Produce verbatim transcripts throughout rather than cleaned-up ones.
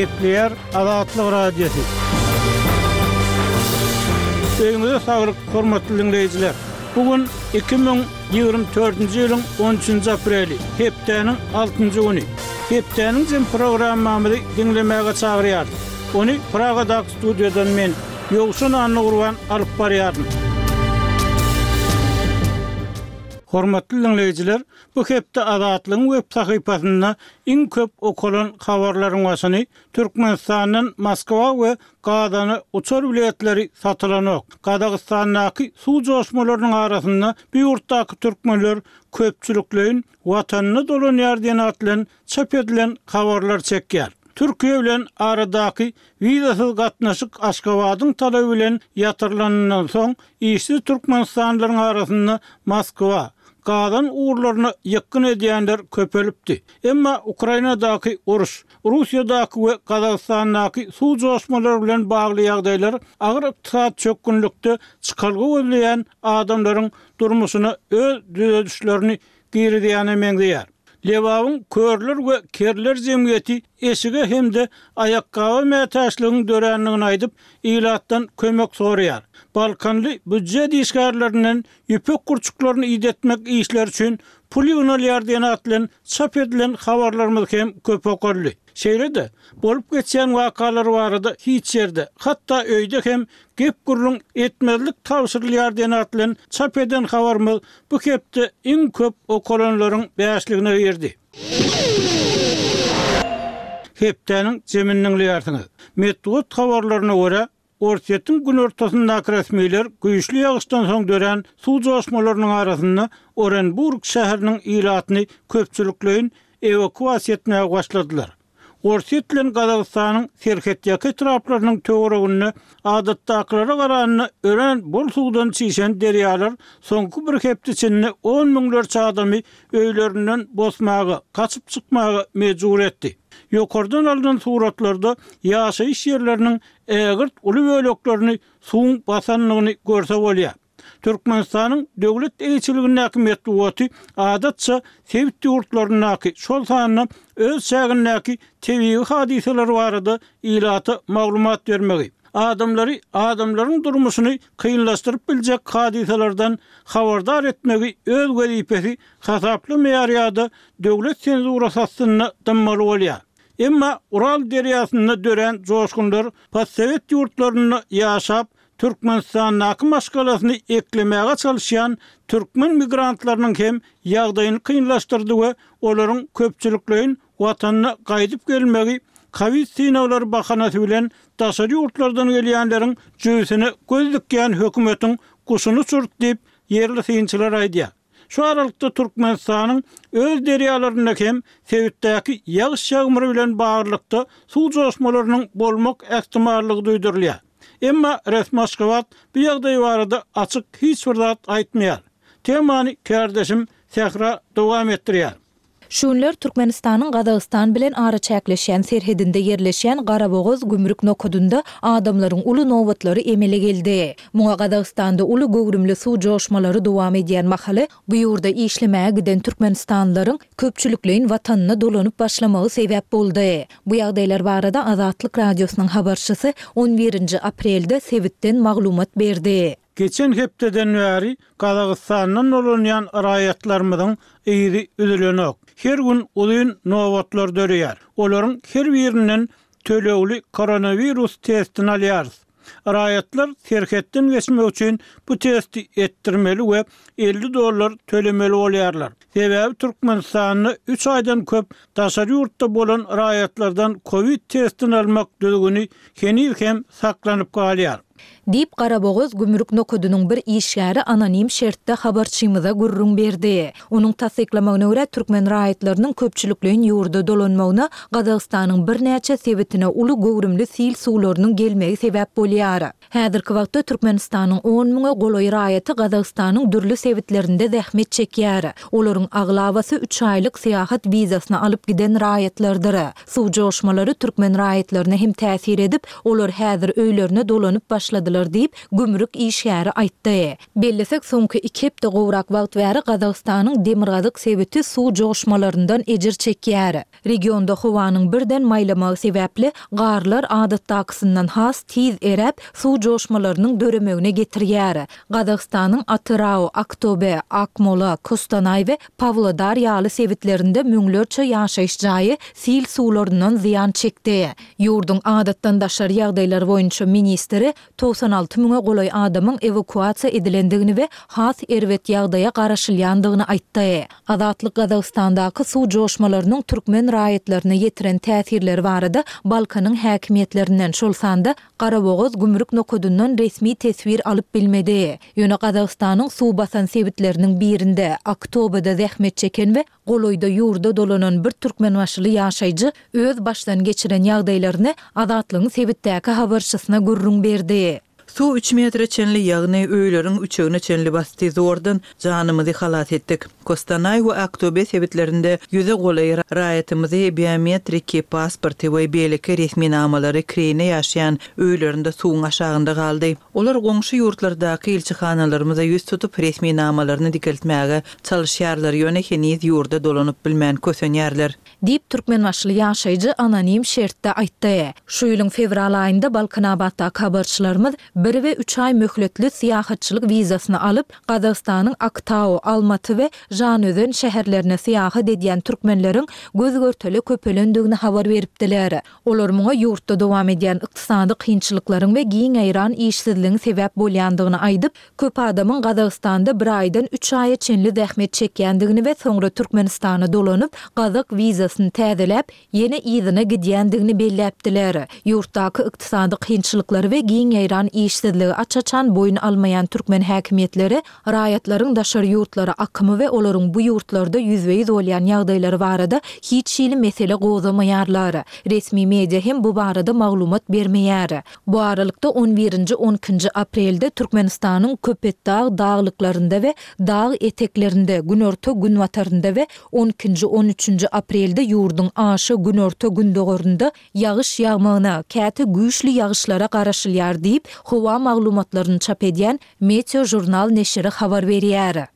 Gepleýär Azatlyk Radiosy. Öýüňize saglyk, hormatly diňleýjiler. Bu gün iki müň ýigrimi dördünji ýylyň on üçünji apreli, hepdäniň altynjy güni. Hepdäniň jem programmamyzy diňlemäge çagyrýarys. Ony Pragadaky studiýadan men, Ýowşan Annagurban alyp barýaryn. Hormatly diňleýjiler, bu hepde Azatlygyň web sahypasynda iň köp okalan habarlaryň başyny Türkmenistandan Moskwa we Gazana uçar biletleri satylanok. Gazagystandaky suw joşmalarynyň arasynda bu ýurtdaky türkmenler köpçülikleýin watanyna dolanýar diýen at bilen çap edilen habarlar çekýär. Türkiýe bilen aradaky wizasyz gatnaşyk Aşgabadyň talaby bilen ýatyrylanyndan soň işsiz türkmenistanlylaryň arasynda Moskwa, Gazan ugurlaryna ýykgyn edýänler köpelipdi. Emma Ukrainadaky uruş, Russiýadaky we Gazagystandaky suw joşmalary bilen bagly ýagdaýlar agyr ykdysady çökgünlikde çykalga gözleýän adamlaryň durmuşyna öz düzedişlerini girizýäne meňzeýär. Lebabyň Körler we Kerler jemgyýeti eşige hem-de aýakgaba mätäçligiň dörändigini aýdyp, ilatdan kömek soraýar. Balkanly býujet işgärlerinden ýüpek gurçuklaryny idetmek işleri üçin pul ýygnalýar diýen at bilen çap edilen habarlarymyz hem köp okaldy. Şeýle-de, bolup geçýän wakalar barada hiç ýerde, hatda öýde hem gep-gürrüň etmezlik tabşyrylýar diýen at bilen çap eden habarymyz bu hepde iň köp okalanlaryň bäşligine girdi. Hepdäniň jemini diňleýärsiňiz. Metbugat habarlaryna görä, Orsýetiň günortasyndaky resmiler güýçli ýagyşdan soň dörän suw joşmalarynyň arasynda Orenburg şäheriniň ilatyny köpçülikleýin ewakuasiýa etmäge başladylar. Orsýet bilen Gazagystanyň serhetýaka etraplarynyň töwereginde adatdakylara garanda örän bol suwdan çişen derýalar soňky bir hepde içinde on müňlerçe adamy öýlerinden bosmaga, gaçyp çykmaga mejbur etdi. Ýokardan alnan suratlarda ýaşaýyş ýerleriniň ägirt uly böleklerini suwuň basandygyny görse bolýar. Türkmenistanyň döwlet eýeçiligindäki metbugaty adatça sebit ýurtlaryndaky, şol sanda öz çägindäki tebigy hadysalar barada ilata maglumat bermegi, adamlary adamlaryň durmuşyny kynlaşdyryp biljek hadysalardan habardar etmegi öz wezipesi hasaplamaýar ýa-da döwlet senzurasy astynda dymmaly bolýar. Emma Ural derýasynda dörän joşgunlar postsowet ýurtlarynda ýaşap, Türkmenistandaky maşgalasyny eklemäge çalyşýan türkmen migrantlarynyň hem ýagdaýyny kynlaşdyrdy we olaryň köpçülikleýin watanyna gaýdyp gelmegi kowid synaglary bahanasy bilen daşary ýurtlardan gelýänleriň jübüsine göz dikýän hökümetiň guşuny uçurdy diýip, ýerli synçylar aýdýar. Şu aralykda Türkmenistanyň öz derýalarynda hem sebitdäki ýagyş-ýagmyr bilen baglylykda suw joşmalarynyň bolmak ähtimallygy duýdurylýar. Emma resmi Aşgabat bu ýagdaý barada açyk hiç bir zat aýtmaýar. Temany kärdeşim Sähra dowam etdirýär. Şu günler Türkmenistanyň Gazagystan bilen araçäkleşýän serhedinde ýerleşýän Garabogaz gümrük nokadynda adamlaryň uly nobatlary emele geldi. Muňa Gazagystanda uly göwrümli suw joşmalary dowam edýän mahaly bu ýurda işlemäge giden türkmenistanlylaryň köpçülikleýin watanyna dolanyp başlamagy sebäp boldy. Bu ýagdaýlar barada Azatlyk Radiosynyň habarçysy on birinji aprelde sebitden maglumat berdi. Geçen hepdeden bäri Gazagystandan dolanýan raýatlarymyzyň yzy üzülenok. Her gün uzyn nobatlar döreýär. Olaryň her birinden tölegli koronawirus testini alýarys. Raýatlar serhetden geçmek üçin bu testi etdirmeli we elli dollar tölemeli bolýarlar. Sebäbi Türkmenistanda üç aýdan köp daşary ýurtda bolan raýatlardan kowid testini almak düzgüni heniz hem saklanyp galýar. Diýip, Garabogaz gümrük nokadynyň bir işgäri anonim şertde habarçymyza gürrüň berdi. Onuň tassyklamagyna görä, türkmen raýatlarynyň köpçülikleýin ýurda dolanmagyna Gazagystanyň birnäçe sebitine uly göwrümli sil suwlarynyň gelmegi sebäp bolýar. Häzirki wagtda Türkmenistanyň on müňe golaý raýaty Gazagystanyň dürli sebitlerinde zähmet çekýär. Olaryň aglabasy üç aýlyk syýahat wizasyny alyp giden raýatlardyr. Suw joşmalary türkmen raýatlaryna hem täsir edip, olar häzir öýlerine dolanyp başladylar diýip, gümrük işgäri aýtdy. Bellesek, soňky iki hepde gowrak wagt bäri Gazagystanyň demirgazyk sebiti suw joşmalaryndan ejir çekýär. Regionda howanyň birden maýlamagy sebäpli garlar adatdakysyndan has tiz eräp, suw joşmalarynyň döremegine getirýär. Gazagystanyň Atyrau, Aktobe, Akmola, Kostanaý we Pawlodar ýaly sebitlerinde müňlerçe ýaşaýyş jaýy sil suwlaryndan zyýan çekdi. Ýurduň adatdan daşary ýagdaýlar boýunça ministri togsan alty müňe golaý adamyň ewakuasiýa edilendigini we has erbet ýagdaýa garaşylýandygyny aýtdy. Azatlyk Gazagystandaky suw joşmalarynyň türkmen raýatlaryna ýetiren täsirleri barada Balkanyň häkimiýetlerinden, şol sanda Garabogaz gümrük nokadyndan resmi teswir alyp bilmedi. Ýöne Gazagystanyň suw basan sebitleriniň birinde, Aktobada zähmet çeken we golaýda ýurda dolanan bir türkmenbaşyly ýaşaýjy öz başdan geçiren ýagdaýlaryny Azatlygyň sebitdäki habarçysyna gürrüň berdi. Suw üç metre çenli, ýagny öýleriň üçegine çenli basdy. Zordan janymyzy halas etdik. Kostanaý we Aktobe sebitlerinde ýüze golaý raýatymyzy biometriki pasporty we beýleki resminamalary kireýine ýaşaýan öýlerinde suwuň aşagynda galdy. Olar goňşy ýurtlardaky ilçihanalarymyza ýüz tutup, resminamalaryny dikeltmäge çalyşýarlar, ýöne heniz ýurda dolanyp bilmän kösenýärler. Diýip, türkmenbaşyly ýaşaýjy anonim şertde aýtdy. Şu ýylyň fewral aýynda Balkanabatdaky habarçylarymyz bir we üç aý möhletli syýahatçylyk wizasyny alyp, Gazagystanyň Aktau, Almaty we Žanözen şäherlerine syýahat edýän türkmenleriň göz-görtele köpelendigini habar beripdiler. Olar muňa ýurtda dowam edýän ykdysady kynçylyklaryň we giň ýaýran işsizligiň sebäp bolýandygyny aýdyp, köp adamyň Gazagystanda bir aýdan üç aýa çenli zähmet çekýändigini we soňra Türkmenistana dolanyp, gazak wizasyny täzeläp, ýene yzyna gidýändigini belläpdiler. Ýurtdaky ykdysady kynçylyklary we giň ýaýran işsizligi aç-açan boýun almaýan türkmen häkimiýetleri raýatlaryň daşary ýurtlara akymy we olaryň bu ýurtlarda ýüzbe-ýüz bolýan ýagdaýlary barada hiç hili mesele gozgamaýarlar. Resmi media hem bu barada maglumat bermeýär. Bu aralykda, on birinji, on ikinji aprelde Türkmenistanyň Köpetdag daglyklarynda we dag eteklerinde, günorta-günbatarynda we on ikinji, on üçünji aprelde ýurduň aşa günorta-gündogarynda ýagyş ýagmagyna, käte güýçli ýagyşlara garaşylýar diýip, howa maglumatlaryny çap edýän Meteožurnal neşiri habar berýär.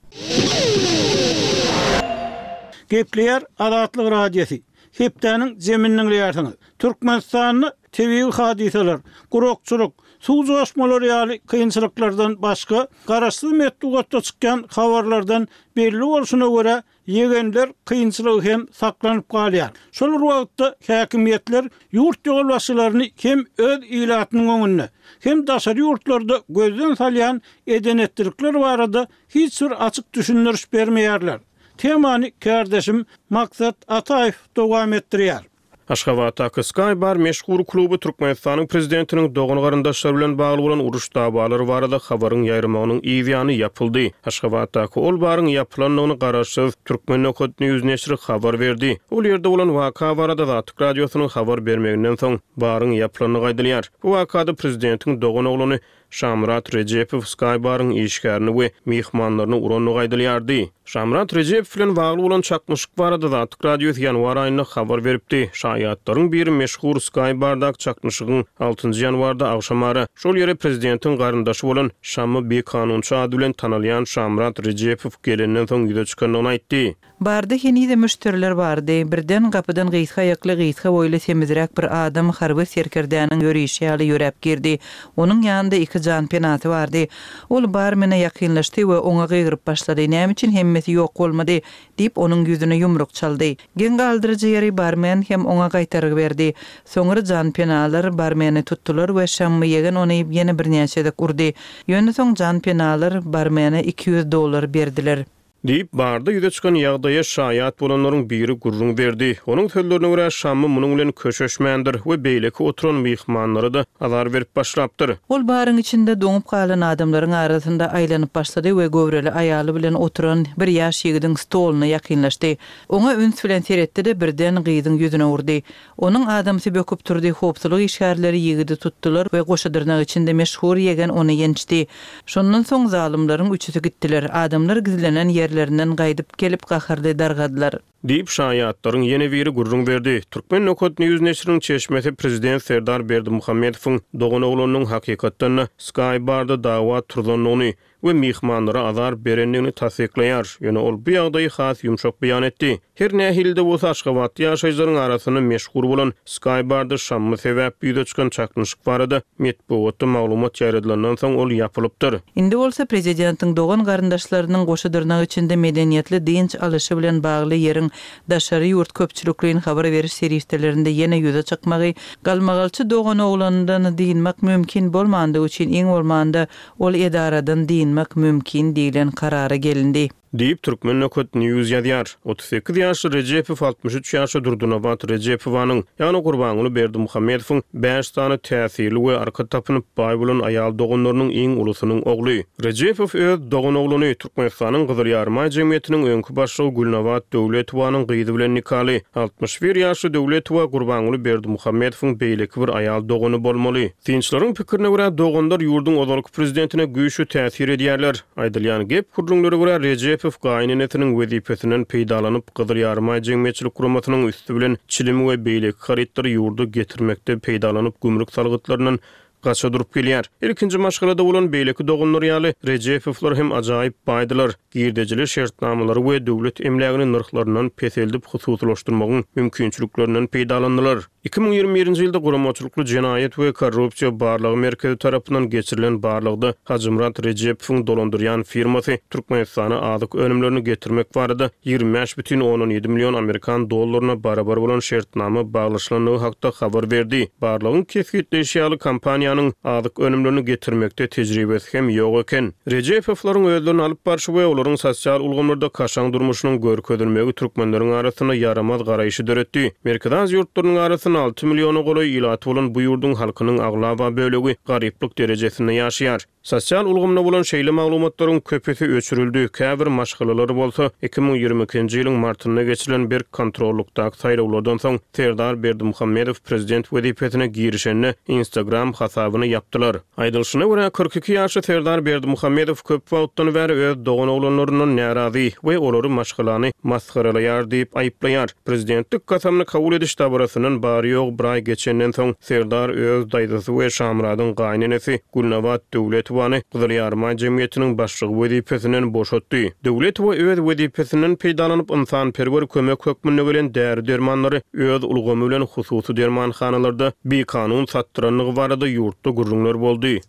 Gepleýär Azatlyk Radiosy. Hepdäniň jemini diňleýärsiňiz. Türkmenistanda tebigy hadysalar, gurakçylyk, suw joşmalary ýaly kynçylyklardan başga, garaşsyz metbugatda çykýan habarlardan belli bolşuna görä, ýegenler kynçylygy hem saklanyp galýar. Şol bir wagtda, häkimiýetler ýurt ýolbaşçylaryny hem öz ilatynyň öňünde, hem daşary ýurtlarda gözden salýan eden-etdilikler barada hiç bir açyk düşündiriş bermeýärler. Temany kärdeşim Maksat Ataýew dowam etdirýär. Aşgabatdaky Sky Bar meşhur kluby Türkmenistanyň prezidentiniň dogan-garyndaşlary bilen bagly bolan uruş dawalary barada habaryň ýaýramagynyň yz ýany ýapyldy. Aşgabatdaky ol baryň ýapylandygyny garaşsyz Turkmen nokat news neşiri habar berdi. Ol ýerde bolan waka barada Azatlyk Radiosynyň habar bermeginden soň, baryň ýapylandygy aýdylýar. Bu wakada prezidentiň doganoglany Şamyrat Rejepow Sky Baryň işgärini we myhmanlaryny urandygy aýdylýardy. Şamyrat Rejepow bilen bagly bolan çaknyşyk barada Azatlyk Radiosy ýanwar aýynda habar beripdi. Şaýatlaryň biri meşhur Sky Bardaky çaknyşygyň altynjy ýanwarda agşamara şol ýere prezidentiň garyndaşy bolan Şammy Bikanunçy ady bilen tanalýan Şamyrat Rejepow gelenden soň ýüze çykandygyny aýtdy. Barda henizem müşderiler bardy. Birden gapydan gysga aýakly, gysga boýly, semizräk bir adam harby serkerdäniň ýörişi ýaly ýöräp girdi. Onuň ýanynda iki janpenasy bardy. Ol barmene ýakynlaşdy we oňa gygyryp başlady, Näme üçin hemmesi ýok bolmady? diýip, onuň ýüzüne ýumruk çaldy. Geň galdyryjy ýeri, barmen hem oňa gaýtargy berdi. Soňra janpenalar barmeni tutdular we Şammy ýegen ony ýene birnäçe gezek urdy. Ýöne soň janpenalar barmene iki ýüz dollar berdiler. Diýip, barda ýüze çykan ýagdaýa şaýat bolanlaryň biri gürrüň berdi. Onuň sözlerine görä, Şammy munuň bilen köşeşmändir we beýleki oturan myhmanlara-da azar berip başlapdyr. Ol baryň içinde doňup galan adamlaryň arasynda aýlanyp başlady we göwreli aýaly bilen oturan bir ýaş ýigidiň stoluna ýakynlaşdy. Oňa üns bilen seretdi-de, birden gyzyň ýüzüne urdy. Onuň adamsy böküp turdy, howpsuzlyk işgärleri ýigidi tutdular we goşa dyrnak içinde meşhur ýegen ony ýençdi. Şondan soň zalymlaryň üçüsi gitdiler. Adamlar gizlenen ýerlerinden gaýdyp gelip gaharly dargadylar. Diýip, şaýatlaryň ýene biri gürrüň berdi. Turkmen nokat news neşiriniň çeşmesi prezident Serdar Berdimuhamedowyň doganoglanynyň hakykatdan-da Sky Barda dawa turzandygyny we myhmanlara azar berendigini tassyklaýar. Ýöne ol bu ýagdaýy has ýumşak beýan etdi. Her nähili-de bolsa Aşgabatda ýaşaýjylaryň arasynda meşhur bolan Sky Barda şammy sebäpli ýüze çykan çaknyşyk barada metbugatda maglumat ýaýradylandan soň ol ýapylypdyr. Indi bolsa prezidentiň dogan garyndaşlarynyň goşa dyrnak içinde medeniýetli dynç alyşy bilen bagly ýeriň daşary ýurt köpçülikleýin habar beriş serişdelerinde ýene ýüze çykmagy, galmagalçy doganoglanyndan dynmak mümkin bolmandygy üçin iň bolmanda ol edaradan dynmak mümkin diýlen karara gelindi. Diýip, Turkmen nokat news ýazýar. Otuz sekiz ýaşly Rejepow altmyş üç ýaşly Durdynabat Rejepowanyň, ýagny Gurbanguly Berdimuhamedowyň bäş sany täsirli we arka tapynyp baý bolan aýal doganlarynyň iň ulusynyň ogly. Rejepow öz doganoglany, Türkmenistanyň Gyzyl Ýarymaý jemgyýetiniň öňki başlygy Gülnabat Döwletowanyň gyzy bilen nikaly. Altmyş bir ýaşly Döwletowa Gurbanguly Berdimuhamedowyň beýleki bir aýal dogany bolmaly. Synçylaryň pikirine görä, doganlar ýurduň ozalky prezidentine güýçli täsir edýärler. Aýdylýan gep-gürrüňlere görä, Rejepow gaýynenesiniň wezipesinden peýdalanyp, Gyzyl Ýarymaý jemgyýetçilik guramasynyň üsti bilen çilim we beýleki harytlary ýurda getirmekde peýdalanyp, gümrük salgytlaryndan gaça durup gelýär. Ilkinji maşgalada bolan beýleki doganlar ýaly, Rejepowlar hem ajaýyp baýdylar. Girdejili şertnamalary we döwlet emlägini nyrhlaryndan peseldip hususylaşdyrmagyň mümkinçiliklerinden peýdalandylar. Iki müň ýigrimi birinji ýylda guramaçylykly jenaýat we korrupsiýa barlagy merkezi tarapyndan geçirilen barlagda Hajymyrat Rejepowyň dolandyrýan firmasy Türkmenistana azyk önümlerini getirmek barada ýigrimi bäş bütin ondan ýedi million amerikan dollaryna barabar bolan şertnama baglaşylandygy hakda habar berdi. Barlagyň kesgitleýşi ýaly, kompaniýanyň azyk önümlerini getirmekde tejribesi hem ýok eken. Rejepowlaryň özlerini alyp barşy we olaryň sosial ulgamlarda kaşaň durmuşynyň görkezilmegi türkmenleriň arasynda ýaramaz garaýşy döretdi. Merkezi Aziýa ýurtlarynyň arasynda alty milliona golaý ilaty bolan bu ýurduň halkynyň aglaba bölegi garyplyk derejesinde ýaşaýar. Sosial ulgamda bolan şeýle maglumatlaryň köpüsi öçürildi, käbir maşgalalar bolsa iki müň ýigrimi ikinji ýylyň martynda geçirilen berk kontrollukdaky saýlawlardan soň Serdar Berdimuhamedow prezident wezipesine girişende Instagram hasabyny ýapdylar. Aýdylyşyna görä, kyrk iki ýaşly Serdar Berdimuhamedow köp wagtdan bäri öz doganoglanlaryndan närazy we olary maşgalany masgaralaýar diýip aýyplaýar. Prezidentlik kasamyny kabul ediş dabarasyndan bary-ýogy bir aý geçenden soň Serdar öz daýzasy we Şamyradyň gaýynenesi Gülnabat Döwletowany Gyzyl Ýarymaý jemgyýetiniň başlygy wezipesinden boşatdy. Döwletowa öz wezipesinden peýdalanyp, ynsanperwer kömek hökmünde gelen däri-dermanlary öz ulgamy bilen hususy dermanhanalarda bikanun satdyrandygy barada ýurtda gürrüňler boldy.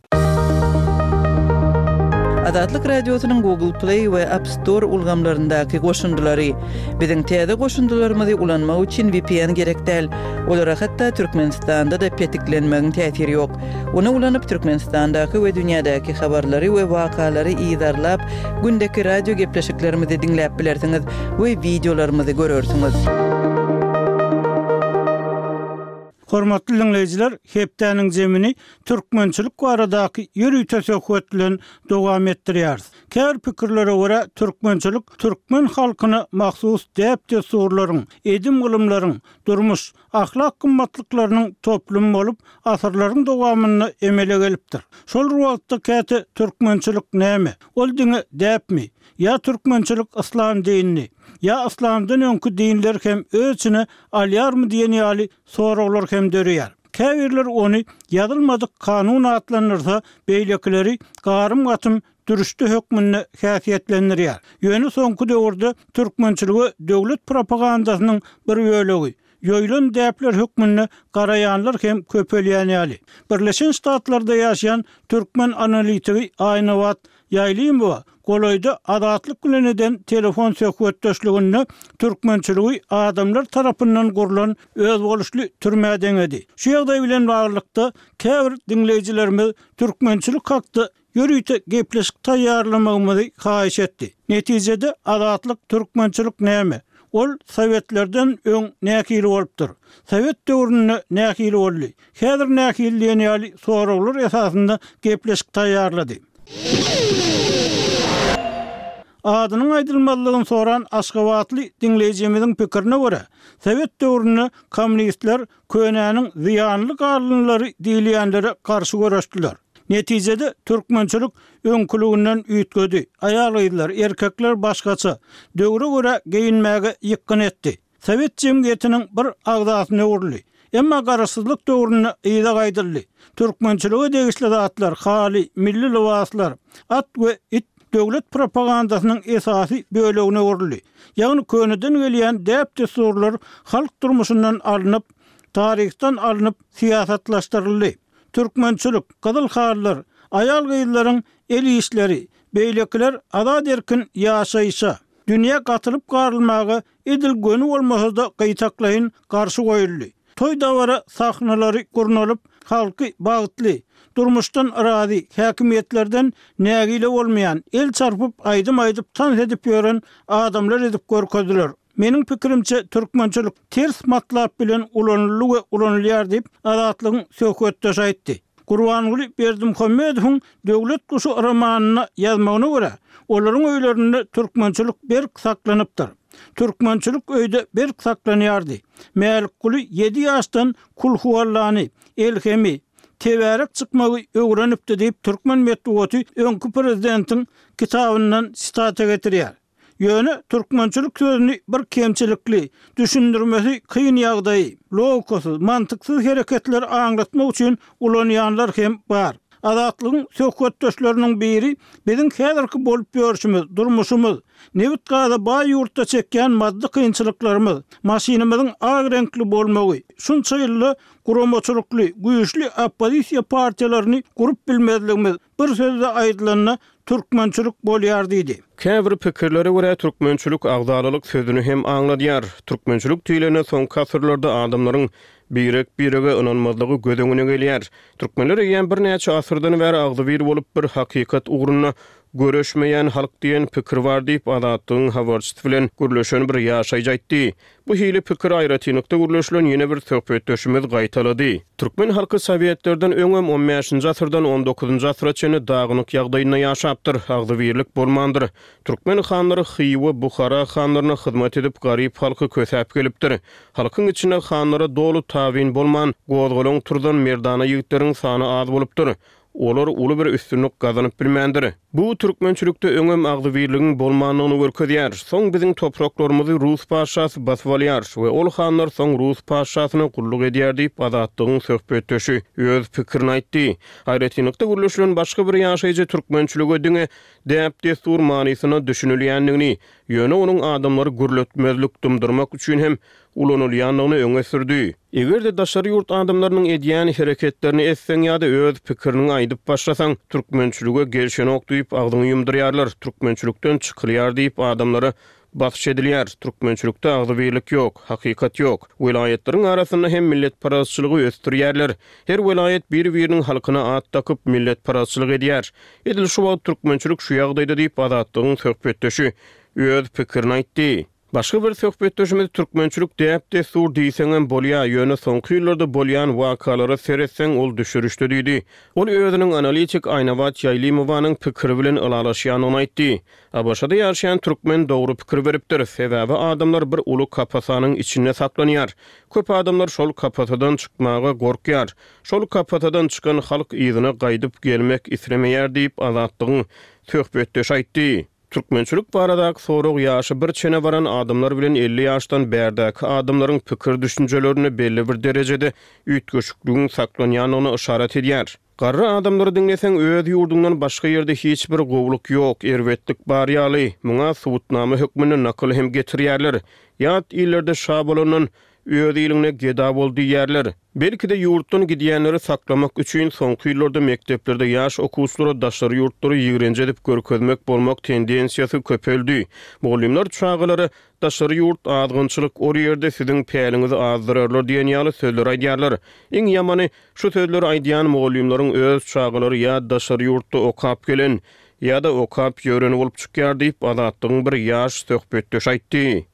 Azatlyk Radiosynyň Google Play we App Store ulgamlaryndaky goşundylary. Biziň täze goşundylarymyzy ulanmak üçin V P N gerek däl. Olara hatda Türkmenistanda-da petiklenmegiň täsiri ýok. Ony ulanyp Türkmenistandaky we dünýädäki habarlary we wakalary yzarlap, gündeki radio gepleşiklerimizi diňläp bilersiňiz we videolarymyzy görersiňiz. Hormatly dinleýjiler, hepdäniň zemini türkmençilik baradaky ýörite söhbet bilen dowam etdirýäris. Käbir pikirlere görä türkmençilik türkmen halkyna mahsus däp-dessurlaryň, edim-gylymlaryň, durmuş, ahlak gymmatlyklarynyň toplumy bolup, asyrlaryň dowamynda emele gelipdir. Şol wagtda käte türkmençilik näme? Ol diňe däpmi? Ýa türkmençilik yslam dinini, ýa yslamdan öňki dinler hem öz içine alýarmy diýen ýaly soraglar hem döreýär. Käbirler ony ýazylmadyk kanun atlandyrsa, beýlekileri garym-gatym dürüşde hökmünde häsiýetlendirýär. Ýöne soňky döwürde türkmençiligi döwlet propagandasynyň bir bölegi, ýoýlan däpler hökmünde garaýanlar hem köpelýän ýaly. Birleşen Ştatlarda ýaşaýan türkmen analitigi Aýnabat Ýaýlymowa golaýda Azatlyk bilen eden telefon söhbetdeşliginde türkmençiligi adamlar tarapyndan gurlan özboluşly türmä deňedi. Şu ýagdaý bilen baglylykda käbir diňleýjilerimiz türkmençilik hakda ýörite gepleşik taýýarlamagymyzy haýyş etdi. Netijede Azatlyk türkmençilik näme? Ol Sowetlerden öň nähili bolupdyr? Sowet döwründe nähili boldy? Häzir nähili diýen ýaly soraglar esasynda gepleşik taýýarlady. Adynyň aýdylmazlygyny soran Aşgabatly diňleýjimiziň pikirine görä, Sowet döwründe kommunistler könäniň zyýanly galynlary diýilýänlere garşy göreşdiler. Netijede türkmençilik öňküliginden üýtgedi. Aýal-gyzlar, erkekler başgaça döwre görä geýinmäge ýykgyn etdi. Sowet jemgyýetiniň bir agzasyna öwrüldi. Emma garaşsyzlyk döwründe yza gaýdyldy. Türkmençilige degişli zatlar, haly, milli lybaslar, at we it döwlet propagandasynyň esasy bölegine öwrüldi. Ýagny köneden gelýän däp-dessurlar halk durmuşyndan alnyp, taryhdan alnyp syýasatlaşdyryldy. Türkmençilik, gyzyl halylar, aýal-gyzlaryň el işleri, beýlekiler azat-erkin ýaşaýşa, dünýä gatylyp-garylmaga edil göni bolmasa-da gytaklaýyn garşy goýuldy. Toý-dabara sahnalary gurnalyp, halky bagtly, durmuşdan razy, häkimiýetlerden nägile bolmaýan, el çarpyp, aýdym aýdyp, tans edip ýören adamlar edip görkezdiler. Meniň pikirimçe, türkmençilik ters matlap bilen ulanyldy we ulanylýar diýip, Azatlygyň söhbetdeşi aýtdy. Gurbanguly Berdimuhamedowyň Döwlet guşy romanynda ýazmagyna görä, olaryň öýlerinde türkmençilik berk saklanypdyr. Türkmençilik öýde berk saklanýardy. Mälikguly ýedi ýaşdan Kulhuallany, Elhemi, Tebärek çykmagy öwrenipdi diýip, türkmen metbugaty öňki prezidentiň kitabyndan sitata getirýär. Ýöne türkmençilik sözüni bir kemçilikli, düşündirmesi kyn ýagdaýy, logikasyz, mantyksyz hereketleri aňlatmak üçin ulanýanlar hem bar. Azatlygyň söhbetdeşleriniň biri biziň häzirki bolup ýörşümiz, durmuşymyz, nebit-gaza baý ýurtda çekýän maddy kynçylyklarymyz, maşynymyzyň ak reňkli bolmagy, şunça ýylda guramaçylykly, güýçli oppozisiýa partiýalaryny gurup bilmezligimiz, bir sözde aýdylanda, türkmençilik bolýar diýdi. Käbir pikirlere görä, türkmençilik agzalalyk sözüni hem aňladýar. Türkmençilik diýlende soňky asyrlarda adamlaryň birek-birege ynanmazlygy göz öňüne gelýär. Türkmenler eýýäm birnäçe asyrdan bäri agzybir bolup, bir hakykat ugrunda göreşmeýän halk diýen pikir bar diýip, Azatlygyň habarçysy bilen gürleşen bir ýaşaýjy aýtdy. Bu hili pikiri aýratynlykda gürleşilen ýene bir söhbetdeşimiz gaýtalady. Türkmen halky sowetlerden öňem on bäşinji asyrdan on dokuzynjy asyra çenli dagynyk ýagdaýynda ýaşapdyr, agzybirlik bolmandyr. Türkmen hanlary Hywa, Buhara hanlaryna hyzmat edip, garyp halky kösäp gelipdir. Halkyň içinde hanlara doly tabyn bolman, gozgalaň turzan merdana ýigitleriň sany az bolupdyr. Olar uly bir üstünlik gazanyp bilmändir. Bu türkmençilikde öňem agzybirligiň bolmandygyny görkezýär. Soň biziň topraklarymyzy rus patyşasy basyp alýar we ol hanlar soň rus patyşasyna gulluk edýär diýip, Azatlygyň söhbetdeşi öz pikirini aýtdy. Aýratynlykda gürleşilen başga bir ýaşaýjy türkmençilige diňe däp-dessur manysynda düşünilýändigini, ýöne onuň adamlary gürletmezlik, dymdyrmak üçin hem ulanylýandygyny öňe sürdi. Eger-de daşary ýurt adamlarynyň edýän hereketlerini etseň ýa-da öz pikiriňi aýdyp başlasaň, türkmençilige gelşenok diýip agzyňy ýumdurýarlar, türkmençilikden çykylýar diýip adamlara basyş edilýär, türkmençilikde agzybirlik ýok, hakykat ýok. Welaýatlaryň arasynda hem milletparazçylygy ösdürýärler. Her welaýat bir-biriniň halkyna at dakyp milletparazçylyk edýär. Edil şu wagt türkmençilik şu ýagdaýda diýip Azatlygyň söhbetdeşi öz pikirini aýtdy. Başga bir söhbetdeşimiz türkmençilik däp-dessur diýseňem bolýa, ýöne soňky ýyllarda bolýan wakalara seretseň ol düşürişde diýdi. Ol özüniň analitik Aýnabat Ýaýlymowanyň pikiri bilen ylalaşýandygyny aýtdy. ABŞ-da ýaşaýan türkmen dogry pikir beripdir, sebäbi adamlar bir uly kapasanyň içinde saklanýar. Köp adamlar şol kapasadan çykmaga gorkýar. Şol kapasadan çykan halk yzyna gaýdyp gelmek islemeýär diýip Azatlygyň söhbetdeşi aýtdy. Türkmençilik baradaky sorag ýaşy bir çene baran adamlar bilen elli ýaşdan bärdäki adamlaryň pikir düşünjelerinde belli bir derejede üýtgeşikligiň saklanýandygyny yşarat edýär. Garry adamlary diňleseň öz ýurduňdan başga ýerde hiç bir gowluk ýok, erbetlik bar ýaly, muňa subutnama hökmünde nakyl hem getirýärler. Ýat illerde şa bolandan öz iliňde geda bol diýýärler. Belki-de ýurtdan gidýänleri saklamak üçin soňky ýyllarda mekdeplerde ýaş okuwçylara daşary ýurtlary ýigrenji edip görkezmek bolmak tendensiýasy köpeldi. Mugallymlar çagalara daşary ýurt azgynçylyk, ol ýerde siziň päliňizi azdyrarlar diýen ýaly sözleri aýdýarlar. Iň ýamany şu sözleri aýdýan mugallymlaryň öz çagalary ýa daşary ýurtda okap gelen ýa-da okap ýöreni bolup çykýar diýip Azatlygyň bir ýaş söhbetdeşi aýtdy.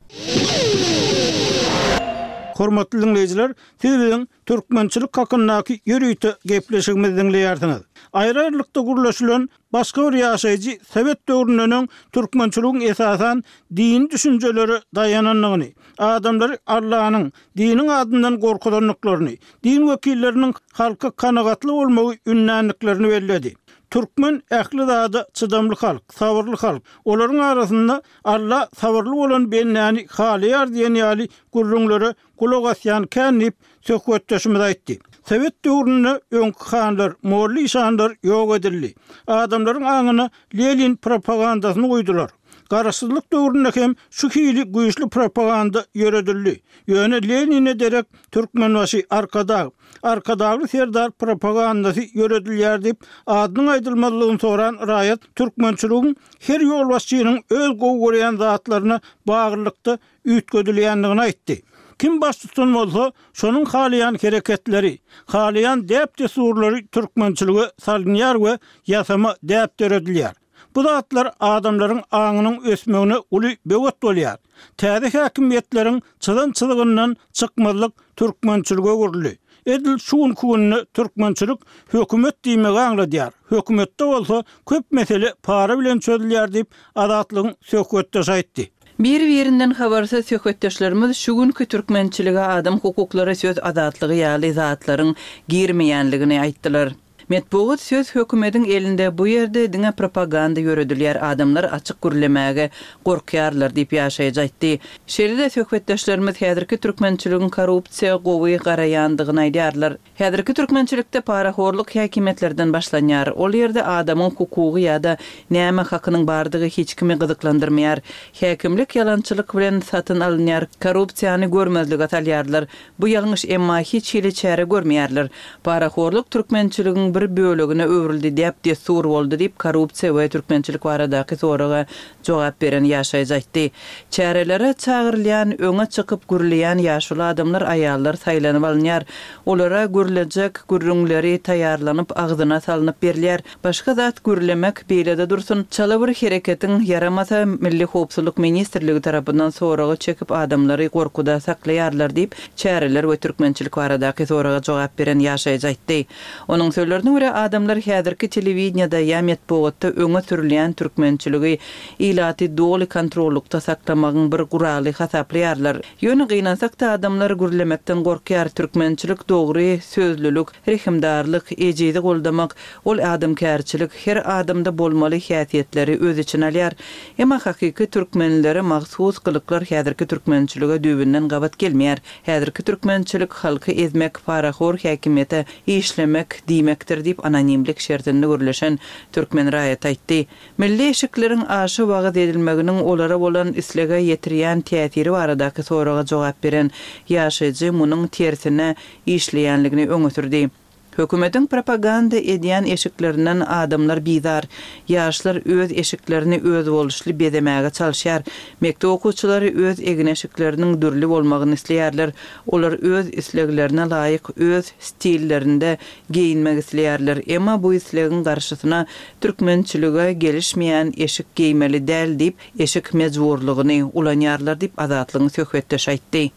Hormatly dinleýjiler, siz biziň türkmençilik hakyndaky ýörite gepleşigimizi dinleýärsiňiz. Aýry-aýrylykda gürleşilen başga bir ýaşaýjy Sowet döwründen öň türkmençiligiň esasan dini düşünjelere daýanandygyny, adamlary Allanyň, diniň adyndan gorkuzandyklaryny, din wekilleriniň halka kanagatly bolmagy ündändiklerini belledi. Türkmen ähli zada çydamly halk, sabyrly halk. Olaryň arasynda Alla sabyrly bolan bendäni halaýar diýen ýaly gürrüňlere gulak asýan kän diýip, söhbetdeşimiz aýtdy. Sowet döwründe öňki hanlar, molla-işanlar ýok edildi. Adamlaryň aňyna Lenin propagandasyny guýdular. Garaşsyzlyk döwründe hem şu hili güýçli propaganda ýöredildi. Ýöne Lenine derek Türkmenbaşy, Arkadag, Arkadagly Serdar propagandasy ýöredilýär diýip, adynyň aýdylmazlygyny soran raýat türkmençiligiň her ýolbaşçynyň öz gowy görýän zatlaryna baglylykda üýtgedilýändigini aýtdy. Kim baştutan bolsa, şonuň halaýan hereketleri, halaýan däp-dessurlary türkmençilige salynýar we ýasama däp döredilýär. Bu zatlar adamlaryň aňynyň ösmegine uly böwet bolýar. Täze häkimiýetleriň çyzan çyzygyndan çykmazlyk türkmençilige öwrüldi. Edil şu günki günde türkmençilik hökümet diýmegi aňladýar. Hökümetde bolsa köp mesele para bilen çözülýär diýip, Azatlygyň söhbetdeşi aýtdy. Bir-birinden habarsyz söhbetdeşlerimiz şu günki türkmençilige adam hukuklary, söz azatlygy ýaly zatlaryň girmeýänligini aýtdylar. Metbugat söz hökümediň elinde, bu ýerde diňe propaganda ýöredilýär, adamlar açyk gürlemäge gorkýarlar diýip ýaşaýjy aýtdy. Şeýle-de söhbetdeşlerimiz häzirki türkmençiligiň korrupsiýa gowy garaýandygyny aýdýarlar. Häzirki türkmençilikde parahorluk häkimiýetlerden başlanýar. Ol ýerde adamyň hukugy ýa-da näme hakynyň bardygy hiç kimi gyzyklandyrmaýar. Häkimlik ýalançylyk bilen satyn alynýar, korrupsiýany görmezlige salýarlar. Bu ýalňyş, emma hiç hili çäre görmeýärler. Parahorluk türkmençiligiň bir bölegine öwrüldi, däp-dessur boldy diýip, korrupsiýa we türkmençilik baradaky soraga jogap beren ýaşaýjy aýtdy. Çärelere çagyrylýan, öňe çykyp gürleýän ýaşuly adamlar, aýallar saýlanyp alynýar. Olara gürlejek gürrüňleri taýýarlanyp, agzyna salnyp berilýär. Başga zat gürlemek beýle-de dursun, çala bir hereketiň ýaramasa, Milli howpsuzlyk ministrligi tarapyndan soraga çekip, adamlary gorkuda saklaýarlar diýip, çäreler we türkmençilik baradaky soraga jogap beren ýaşaýjy aýtdy. Onuň sözlerine görä, adamlar häzirki telewideniýede ýa metbugatda öňe sürülýän türkmençiligi ilaty doly kontrollukda saklamagyň bir guraly hasaplaýarlar. Ýöne gynansak-da adamlar gürlemekden gorkýar, türkmençilik dogry sözlülik, rehimdarlyk, ejizi goldamak, ol adamkärçilik, her adamda bolmaly häsiýetleri öz içine alýar. Emma hakyky türkmenlere mahsus gylyklar häzirki türkmençilige düýbünden gabat gelmeýär. Häzirki türkmençilik halky ezmek, parahor häkimiýete işlemek diýmekdir diýip anonimlik şertinde gürleşen türkmen raýaty aýtdy. Milli eşikleriň aşa wagyz edilmeginiň olara bolan islege ýetirýän täsiri baradaky soraga jogap beren ýaşaýjy munuň tersine işleýänligini öňe sürdi. Hökümetiň propaganda edýän eşiklerinden adamlar bizar. Ýaşlar öz eşiklerini özboluşly bezemäge çalyşýar. Mekdep okuwçylary öz egin-eşikleriniň dürli bolmagyny isleýärler. Olar öz isleglerine laýyk öz stillerinde geýinmek isleýärler. Emma bu islegiň garşysyna türkmençilige gelişmeýän eşik geýmeli däl diýip, eşik mejburlygyny ulanýarlar diýip Azatlygyň söhbetdeşi aýtdy.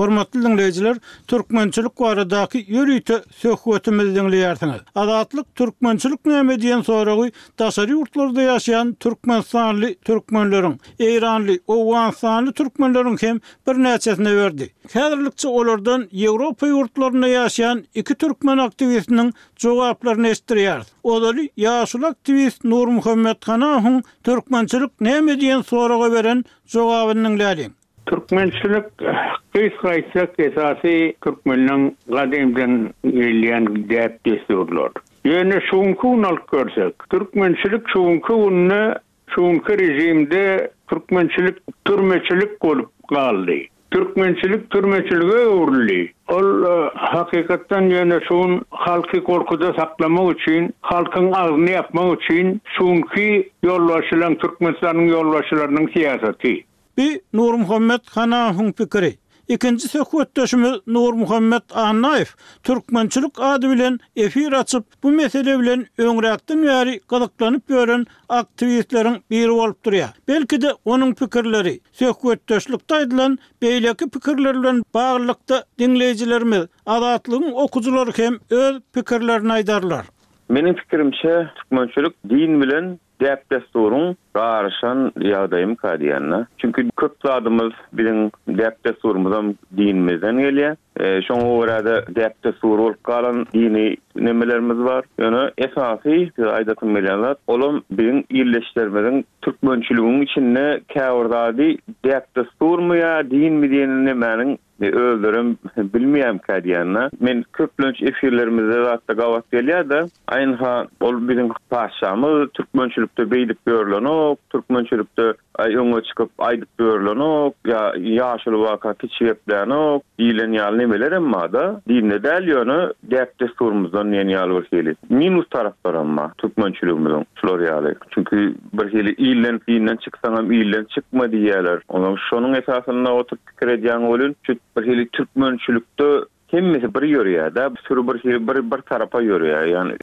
Hormatly dinleýjiler, türkmençilik baradaky ýörite söhbetimizi diňleýärsiňiz. Azatlyk türkmençilik näme diýen soragy daşary ýurtlarda ýaşaýan türkmenistanly türkmenleriň, eýranly, owganystanly türkmenleriň hem birnäçesine berdi. Häzirlikçe olardan Ýewropa ýurtlarynda ýaşaýan iki türkmen aktiwistiniň jogaplaryny eşitdirýäris. Ozaly ýaşuly aktiwist Nurmuhammet Hanahowyň türkmençilik näme diýen soraga beren jogabyny diňläliň. Türkmençilik gysga aýtsak esasy türkmeniň gadymdan gelýän däp-dessurlar. Ýöne şuňky gün alyp görsek, türkmençilik şuňky günde, şuňky rejimde türkmençilik türmeçilik bolup galdy. Türkmençilik türmeçilige öwrüldi. Ol hakykatdan ýöne şun halky gorkuda saklamak üçin, halkyň agzyny ýapmak üçin şuňky ýolbaşçylaryň, Türkmenistanyň ýolbaşçylarynyň syýasaty. Bi Nurmuhammet Hanahowyň pikiri. Ikinji söhbetdeşimiz Nurmuhammet Annaýew türkmençilik ady bilen efir açyp, bu mesele bilen öňräkden bäri gyzyklanyp ýören aktiwistleriň biri bolup durýar. Belki-de onuň pikirleri söhbetdeşlikde aýdylan beýleki pikirler bilen baglylykda diňleýjilerimiz, Azatlygyň okyjylary hem öz pikirlerini aýdarlar. Meniň pikirimçe türkmençilik din bilen däp-dessuryň garyşan ýagdaýymka diýende. Çünki köp zadymyz biziň däp-dessurymyzam dinimizden gelýär. Şoňa görä-de däp-dessur bolup galan dini nemelerimiz bar. Ýöne esasy size aýdasym gelýän zat, olam biziň ildeşlerimiziň türkmençiligiň içinde käbir zady däp-dessurmy ýa dinmi diýen nemäniň özlerem bilmeýärmikä diýýän-de. Men köplenç efirlerimizde zatda gabat gelýär-de, aýynha ol biziň patyşamyz türkmençilikde beýdip ýörlenok, türkmençilikde aý öňe çykyp aýdyp ýörlenok, ýa ýaşuly waka kiçi geplänok diýlen ýaly nemelerem bar-da. Dinde däl ýöne däp-dessurymyzdan diýen ýaly bir hili. Minus taraplaram bar türkmençiligimiziň şular ýaly. Çünki bir hili ilden dinden çyksaňam ilden çykma diýýärler. Onsoň şonuň esasynda oturyp pikir edýäň welin şu bir hili türkmençilikde hemmesi bir ýörýär-de, süri bir hili bir bir tarapa ýörýär. Ýagny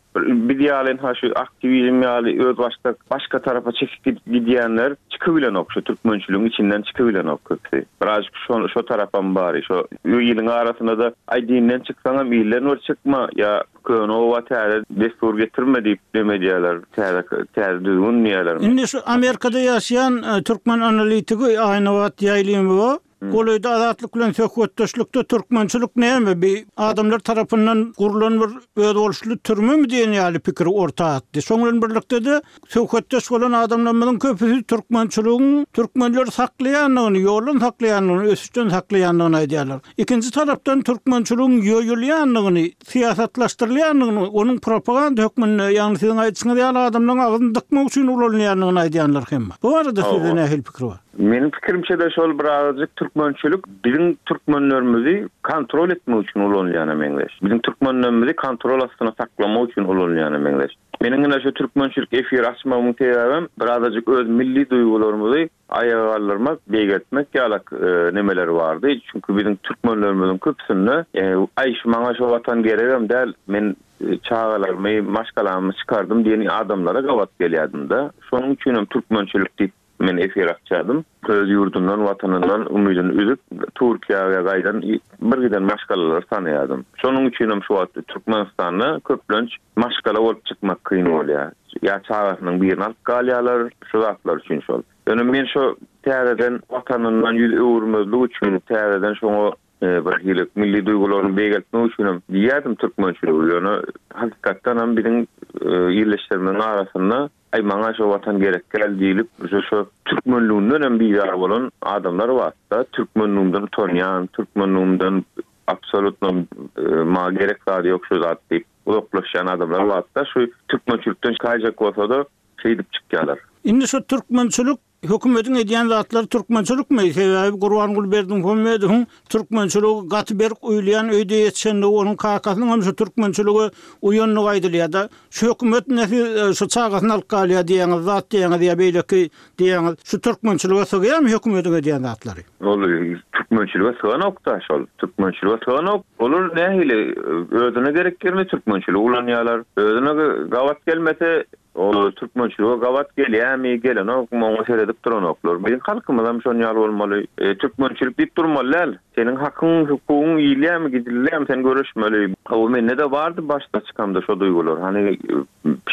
biz ýaly ynha şu aktiwizm ýaly özbaşdak başga tarapa çekip gidýänler çykybilenok şu türkmençiligiň içinden çykybilenok köpüsi. Birazjyk şo şo tarapam bar. Şo iliň arasynda-da aý dinden çyksaňam ilden bir çykma ýa köne oba täze dessur getirme diýip neme edýärler, täze täze düzgün diýýärler. Indi şu Amerikada ýaşaýan türkmen analitigi Aýnabat Ýaýlymowa Golaýda Azatlyk bilen söhbetdeşlikde türkmençilik näme, bi adamlar tarapyndan gurlan bir özboluşly türmemi diýen ýaly pikiri orta atdy. Şoň bilen birlikde-de söhbetdeş bolan adamlarymyzyň köpüsi türkmençiligiň türkmenleri saklaýandygyny, ýoldan saklaýandygyny, ösüşden saklaýandygyny aýdýarlar. Ikinji tarapdan türkmençiligiň ýoýulýandygyny, syýasatlaşdyrylýandygyny, onuň propaganda hökmünde, ýagny siziň aýdyşyňyz ýaly adamlaryň agzyny dykmak üçin ulanylýandygyny aýdýanlar hem bar. Bu barada sizde nähili pikir bar? Meniň pikirimçe-de şol birazajyk türkmençilik biziň türkmenlerimizi kontrol etmek üçin ulanylýana meňzeş. Biziň türkmenlerimizi kontrol astyna saklamak üçin ulanylýana meňzeş. Meniň ine şu türkmençilik efir açmagymyň sebäbem birazajyk öz milli duýgularymyzy aýaga galdyrmak, beýgeltmek ýalak nemeler bardy. Çünki biziň türkmenlerimiziň köpüsinde aý şu maňa şu watan geregem däl, men çagalarymy, maşgalamy çykardym diýen adamlara gabat gelýärdim-de. Şonuň üçinem türkmençilik diýip Men efir açýardym. Öz ýurdundan, watanyndan umydyny üzüp, Türkiýä gaýdan bir giden maşgalalary tanaýardym. Şonuň üçinem şu wagt Türkmenistanda köplenç maşgala bolup çykmak kyn bolýar. Ýa çagasynyň birini alyp galýarlar, şu zatlar üçin şol. Ýöne men şo täzeden watanyndan ýüz öwürmezlik üçin täzeden şoňa bir hili milli duýgularyny beýgeltmek üçinem diýýärdim türkmençiligi. Ýöne hakykatdanam biziň ildeşlerimiziň arasynda Aý maňa şo watan gerek däl diýlip şu şo türkmenliginden hem bizar bolan adamlar barda türkmenligimden utanýan türkmenligimden absolutno maňa gerek zady ýok şu zat diýip uzaklaşýan adamlar barda şu türkmençilikden çykaýjak bolsada şeýdip çykýalar. Indi şu türkmençilik Hökümetiň edýän zatlary türkmençilikmi? Sebäbi Gurbanguly Berdimuhamedowyň türkmençilige gaty berk uýulýan öýde ýetişendigi, onuň kakasynyň hem şu türkmençilige uýandygy aýdylýar-da. Şu hökümet ine siz şu çagasyny alyp galýar diýýäňiz, zat diýýäňiz ýa beýleki diýýäňiz. Şu türkmençilige sygýarmy hökümetiň edýän zatlary? Ol türkmençilige syganok-da şol. Türkmençilige syganok. Olar nähili özüne gerek ýerinde türkmençiligi ulanýarlar. Özüne gabat gelmese Ol türkmençilige gabat gelýärmi, gelenokmy, oňa seredip duranoklar. Biziň halkymyzam şon ýaly bolmaly. Türkmençilik diýip durmaly däl. Seniň hakyň, hukugyň iýilýärmi, gidilýärmi, sen göreşmeli. Hawa, mende-de bardy başda çykamda şo duýgular. Hany,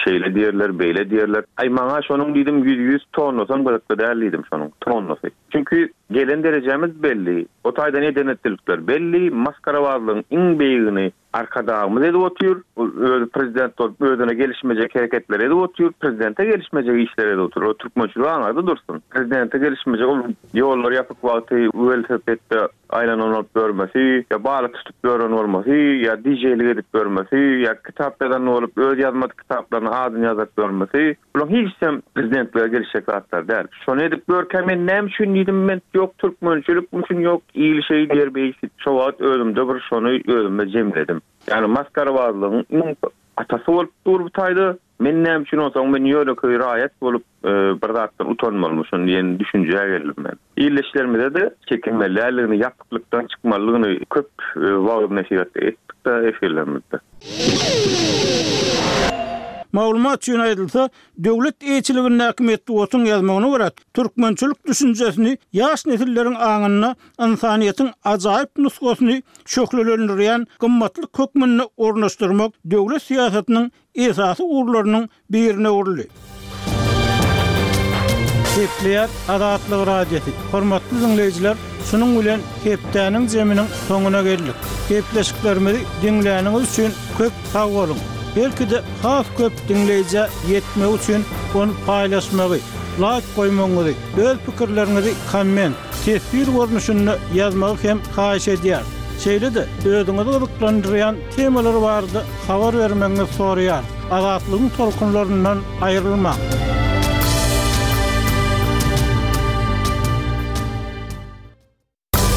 şeýle diýerler, beýle diýerler. Aý, maňa şonuň diýdim, ýüz-ýüz tonnasam gyzykly däl diýdim şonuň, tonnasy. Çünki gelen derejämiz belli. O taýdan eden-etdilikler belli. Masgarabazlygyň iň beýigini Arkadagymyz edip otyr, özi prezident bolup özüne gelişmejek hereketleri edip otyr, prezidente gelişmejek işleri edip otyr. O türkmençilik aňarda dursun. Prezidente gelişmejek ol ýollar ýapyk wagty welosipedde aýlanan bolup ýörmesi, ýa balyk tutup ýören bolmasy, ýa DJ-lik edip ýörmesi, ýa kitap ýazan bolup öz ýazmadyk kitaplaryna adyny ýazdyryp ýörmesi, bularyň hiçisem prezidentlige gelişjek zatlar däl. Şony edip ýörkä men näme üçin diýdim men ýok türkmençilik üçin ýok il şeý diýer beý şo wagt özümde bir şony özümde jemledim. Ýagny masgarabazlygyň iň atasy bolup dur bu taýda. Men näme üçin onsoň men ýönekeý raýat bolup bir zatdan utanmalymyşyn diýen düşünjä geldim men. Ildeşlerimize-de çekinmeli däldigini ýapyklykdan çykmalydygyny köp wagyz-nesihat etdik-de efirlerimizde. Maglumat üçin aýdylsa, döwlet eýeçiligindäki metbugatyň ýazmagyna görä, türkmençilik düşünjesini ýaş nesilleriň aňynda ynsanyýetiň ajaýyp nusgasyny şöhlelendirýän gymmatlyk hökmünde ornaşdyrmak döwlet syýasatynyň esasy ugurlarynyň birine öwrüldi. Gepleýär Azatlyk Radiosy. Hormatly diňleýjiler, Şunuň bilen hepdäniň zeminiň soňuna geldik. Gepleşiklerimizi diňläniňiz üçin köp sag boluň. Belki-de has köp diňleýjä ýetmegi üçin ony paýlaşmagy, laýk goýmagyňyzy, öz pikirleriňizi komment, teswir görnüşinde ýazmagy hem haýyş edýäris. Şeýle-de özüňizi gyzyklandyrýan temalar barada habar bermegiňizi soraýarys. Azatlygyň tolkunlaryndan aýrylmaň.